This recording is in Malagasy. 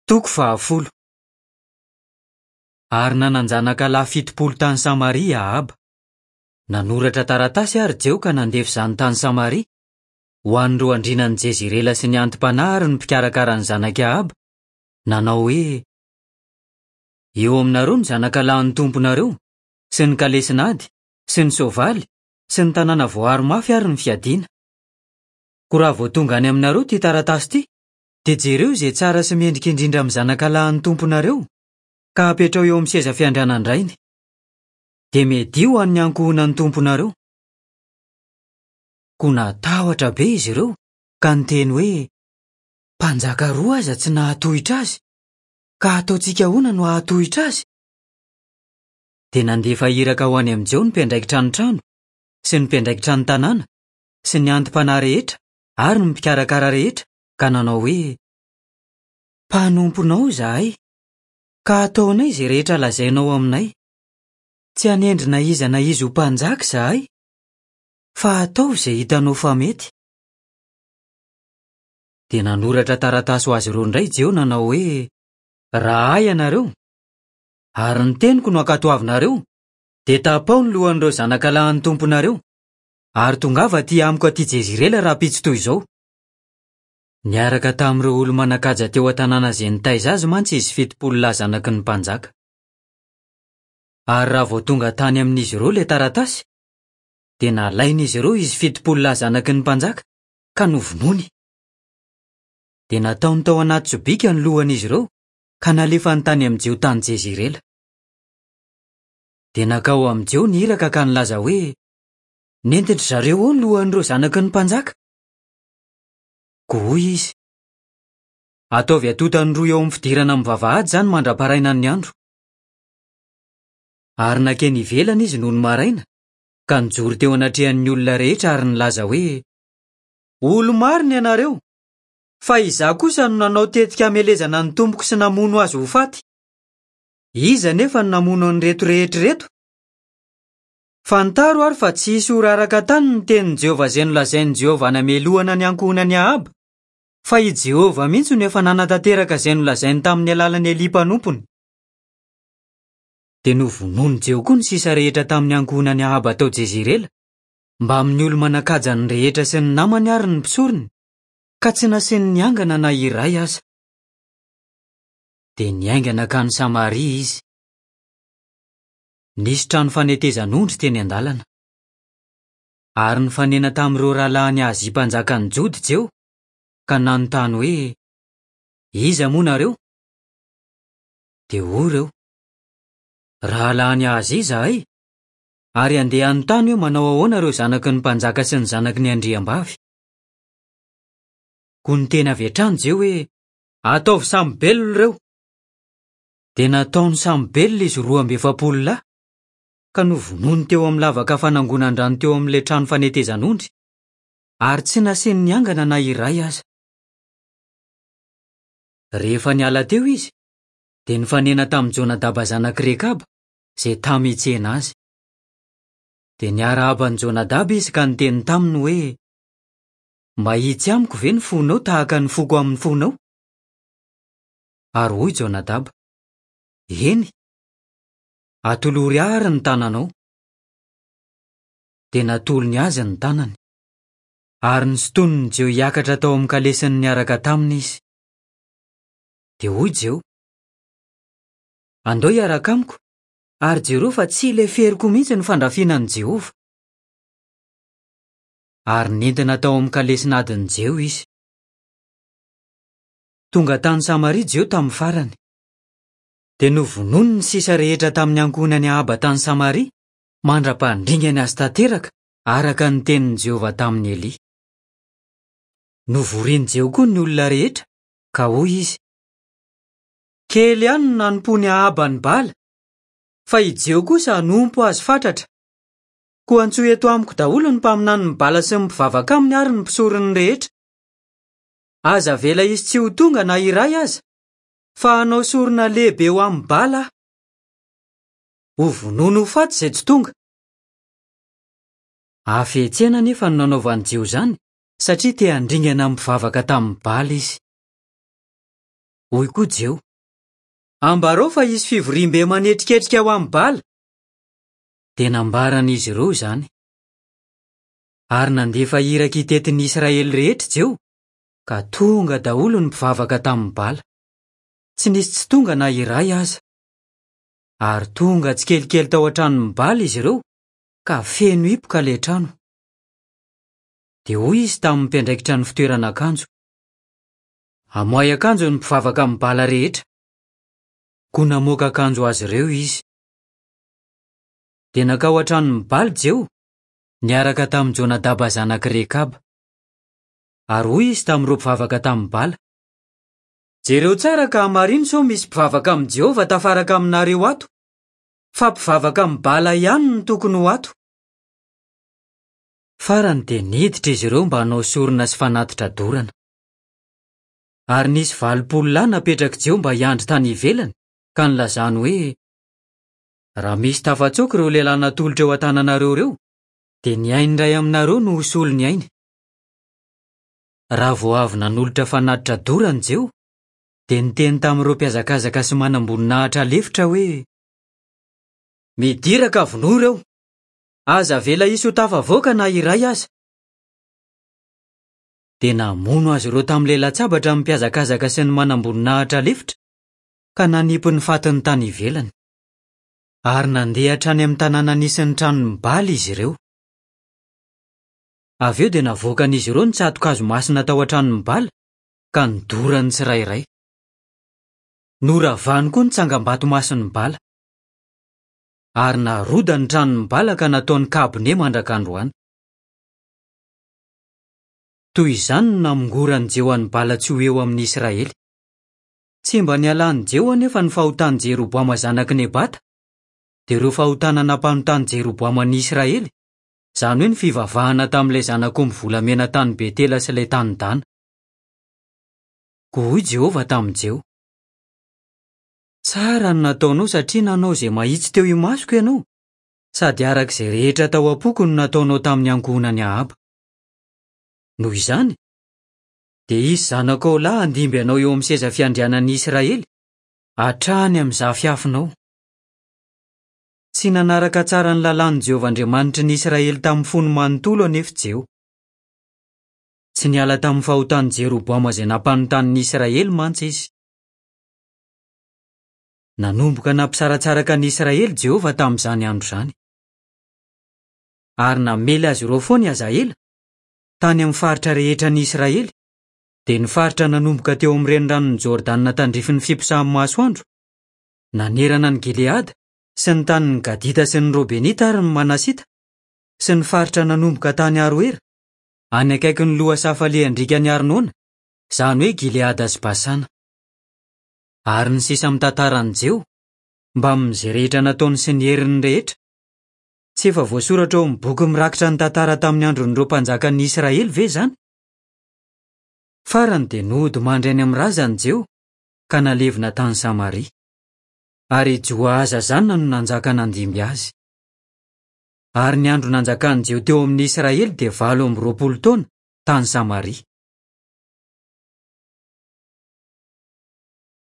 Toko fahafolo. Ary nanan-janaka lahy 70 tany Samaria i Ahaba. Nanoratra taratasy àry Jeho ka nandefa izany tany Samaria, ho an'ireo andrianan'i Jezirela sy ny anti-panahy ary ny mpikarakara ny zanak'i Ahaba, nanao hoe, Eo aminareo ny zanakalahin'ny tomponareo, sy ny kalesin'ady, sy ny soavaly, sy ny tanàna voaaro mafy ary ny fiadiana. Koa raha vao tonga any aminareo ity taratasy ity, dia jereo izay tsara sy mendrika indrindra amin'ny zanakalahin'ny tomponareo, ka apetraho eo amin'ny seza fiandrianan-drainy. Dia miadia ho an'ny ankohonan'ny tomponareo. Koa natahotra be izy ireo, ka niteny hoe, Mpanjaka roa aza tsy nahatohitra azy, ka hataontsika ahoana no hahatohitra azy? Dia nandefa iraka ho any amin'i Jeho ny mpiandraikitra ny trano, sy ny mpiandraikitra ny tanàna, sy ny anti-panahy rehetra ary ny mpikarakara rehetra, ka nanao hoe, Mpanomponao izahay, ka hataonay izay rehetra lazainao aminay. Tsy hanendry na iza na iza ho mpanjaka izahay, fa ataovy izay hitanao fa mety. Dia nanoratra taratasy ho azy ireo indray Jeho nanao hoe, Raha ahy ianareo, ary ny teniko no ankatoavinareo, dia tapaho ny lohan'ireo zanakalahin'ny tomponareo, ary tongava aty amiko aty Jezirela rahampitso toy izao. Niaraka tamin'ireo olo-manan-kaja teo an-tanàna izay nitaiza azy mantsy izy 70 lahy zanaky ny mpanjaka. Ary raha vao tonga tany amin'izy ireo ilay taratasy, dia nalain'izy ireo izy 70 lahy zanaky ny mpanjaka ka novonoiny. Dia nataony tao anaty sobika ny lohan'izy ireo ka nalefany tany amin'i Jeho tany Jezirela. Dia nankao amin'i Jeho ny iraka ka nilaza hoe, Nentin-dry zareo ao ny lohan'ireo zanaky ny mpanjaka. Koa hoy izy, Ataovy atontany roa eo amin'ny fidirana amin'ny vavahady izany mandra-parainan'ny andro. Ary nankeny ivelany izy nony maraina, ka nijoro teo anatrehan'ny olona rehetra ary nilaza hoe, Olo-marina ianareo, fa izaho kosa no nanao tetika hamelezana ny tompoko sy namono azy ho faty. Iza anefa no namono an'ireto rehetra ireto? Fantaro àry fa tsy hisy ho raraka an-tany ny tenin'i Jehovah izay nolazain'i Jehovah hanamelohana ny ankohonan'i Ahaba, fa i Jehovah mihitsy no efa nanatanteraka izay nolazainy tamin'ny alalan'i Elia mpanompony. Dia novonoin'i Jeho koa ny sisa rehetra tamin'ny ankohonan'i Ahaba tao Jezirela, mbamin'ny olo-manan-kajany rehetra sy ny namany ary ny mpisorony, ka tsy nasiany niangana na iray aza. Dia niainga nankany Samaria izy. Nisy trano fanetezan'ondry teny an-dalana. Ary nifanena tamin'ireo rahalahin'i Ahazia mpanjakan'ny Joda i Jeho, ka nanontany hoe, Iza moa nareo? Dia hoy ireo, Rahalahin'i Ahazia izahay, ary handeha hanontany hoe manao ahoana ireo zanaky ny mpanjaka sy ny zanaky ny andriambavy. Koa niteny avy hatrany Jeho hoe, Ataovy samy belona ireo! Dia nataony samy belona izy 42 lahy, ka novonoiny teo amin'ny lavaka fanangonan-drano teo amin'ilay trano fanetezan'ondry, ary tsy nasiany niangana na iray aza. Rehefa niala teo izy, dia nifanena tamin'i Jonadaba zanak'i Rekaba, izay tamy hitsena azy. Dia niarahaba an'i Jonadaba izy ka niteny taminy hoe, Mahitsy amiko ve ny fonao tahaka ny foko amin'ny fonao? Ary hoy Jonadaba, Eny, atolory ahy àry ny tananao. Dia natolony azy ny tanany. Ary nosintonin'i Jeho hiakatra tao amin'ny kalesiny niaraka taminy izy. Dia hoy Jeho, Andao hiaraka amiko, ary jereo fa tsy leferiko mihitsy ny fandrafiana an'i Jehovah. Ary nentina tao amin'ny kalesin'adin'i Jeho izy. Tonga tany Samaria Jeho tamin'ny farany. Dia novonoiny ny sisa rehetra tamin'ny ankohonan'i Ahaba tany Samaria, mandra-pandringany azy tanteraka, araka ny tenin'i Jehovah tamin'i Elia. Novorin'i Jeho koa ny olona rehetra, ka hoy izy, Kely ihany no nanompoan'i Ahaba an'i Bala, fa i Jeho kosa hanompo azy fatratra. Koa antsoy eto amiko daholo ny mpaminanin'i Bala sy ny mpivavaka aminy ary ny mpisorony rehetra. Aza avela hisy tsy ho tonga na iray aza, fa hanao sorona lehibe ho amin'i Bala aho. Hovonoiny ho faty izay tsy tonga. Hafetsena anefa no nanaovan'i Jeho izany, satria te handringana ny mpivavaka tamin'i Bala izy. Hoy koa Jeho, Ambarao fa hisy fivoriambe manetriketrika ho amin'i Bala. Dia nambaran'izy ireo izany. Ary nandefa iraka hitety ny Israely rehetra Jeho, ka tonga daholo ny mpivavaka tamin'i Bala. Tsy nisy tsy tonga na iray aza. Ary tonga tsikelikely tao an-tranon'i Bala izy ireo, ka feno hipoka ilay trano. Dia hoy izy tamin'ny mpiandraikitra ny fitoeran'akanjo, Amoahy akanjo ny mpivavaka amin'ny Bala rehetra. Koa namoaka akanjo azy ireo izy. Dia nankao an-tranon'i Bala Jeho, niaraka tamin'i Jonadaba zanak'i Rekaba. Ary hoy izy tamin'ireo mpivavaka tamin'i Bala, Jereo tsara ka hamarino sao misy mpivavaka amin'i Jehovah tafaraka aminareo ato, fa mpivavaka amin'i Bala ihany no tokony ho ato. Farany dia niditra izy ireo mba hanao sorona sy fanatitra dorana. Ary nisy 80 lahy napetrak'i Jeho mba hiandry tany ivelany, ka nilazany hoe, Raha misy tafatsoaka ireo lehilahy natolotra eo an-tananareo ireo, dia ny ain'ny iray aminareo no ho solon'ny ainy. Raha vao avy nanolotra fanatitra dorana Jeho, dia niteny tamin'ireo mpihazakazaka sy manamboninahitra lefitra hoe, Midira ka vonoy ireo! Aza avela hisy ho tafavoaka na iray aza! Dia namono azy ireo tamin'ilay latsabatra ny mpihazakazaka sy ny manamboninahitra lefitra, ka nanipy ny fatiny tany ivelany. Ary nandeha hatrany amin'ny tanàna nisy ny tranon'i Bala izy ireo. Avy eo dia navoakan'izy ireo ny tsato-kazo masina tao an-tranon'i Bala, ka nodorany tsirairay. Noravany koa ny tsangambato masin'i Bala. Ary narodany ny tranon'i Bala ka nataony kabone mandraka androany. Toy izany no namongoran'i Jeho an'i Bala tsy ho eo amin'ny Israely. Tsy mba nialan'i Jeho anefa ny fahotan'i Jeroboama zanak'i Nebata, dia ireo fahotana nampanotan'i Jeroboama ny Israely, izany hoe ny fivavahana tamin'ilay zanak'omby volamena tany Betela sy ilay tany Dana. Koa hoy Jehovah tamin'i Jeho, Tsara ny nataonao satria nanao izay mahitsy teo imasoko ianao, sady araka izay rehetra tao am-poko no nataonao tamin'ny ankohonan'i Ahaba. Noho izany, dia hisy zanakao lahy handimby anao eo amin'ny seza fiandrianan'ny Israely, hatrany amin'ny zafiafinao. Tsy nanaraka tsara ny lalàn'i Jehovah Andriamanitry ny Israely tamin'ny fony manontolo anefa Jeho. Tsy niala tamin'ny fahotan'i Jeroboama izay nampanontany ny Israely mantsy izy. Nanomboka nampisaratsaraka ny Israely Jehovah tamin'izany andro izany. Ary namely azy ireo foana i Hazaela, tany amin'ny faritra rehetra an'i Israely, dia ny faritra nanomboka teo amin'ny reniranon'i Jordana tandrifin'ny fiposahan'ny masoandro, nanerana an'i Gileada sy ny tanin'ny Gadita sy ny Robenita ary ny Manasita, sy ny faritra nanomboka tany Aroera, any akaikin'ny lohasaha falehan-driakan'i Arnona, izany hoe Gileada sy Basana. Ary ny sisa amin'ny tantaran'i Jeho, mbamin'izay rehetra nataony sy ny heriny rehetra, Tsy efa voasoratra ao amin'ny boky mirakitra ny tantara tamin'ny andron'ireo mpanjakan'ny Israely ve izany? Farany dia nody mandry any amin'ny razany Jeho, ka nalevina tany Samaria. Ary i Joahaza zanany no nanjaka nandimby azy. Ary ny andro nanjakan'i Jeho teo amin'ny Israely dia 28 taona, tany Samaria.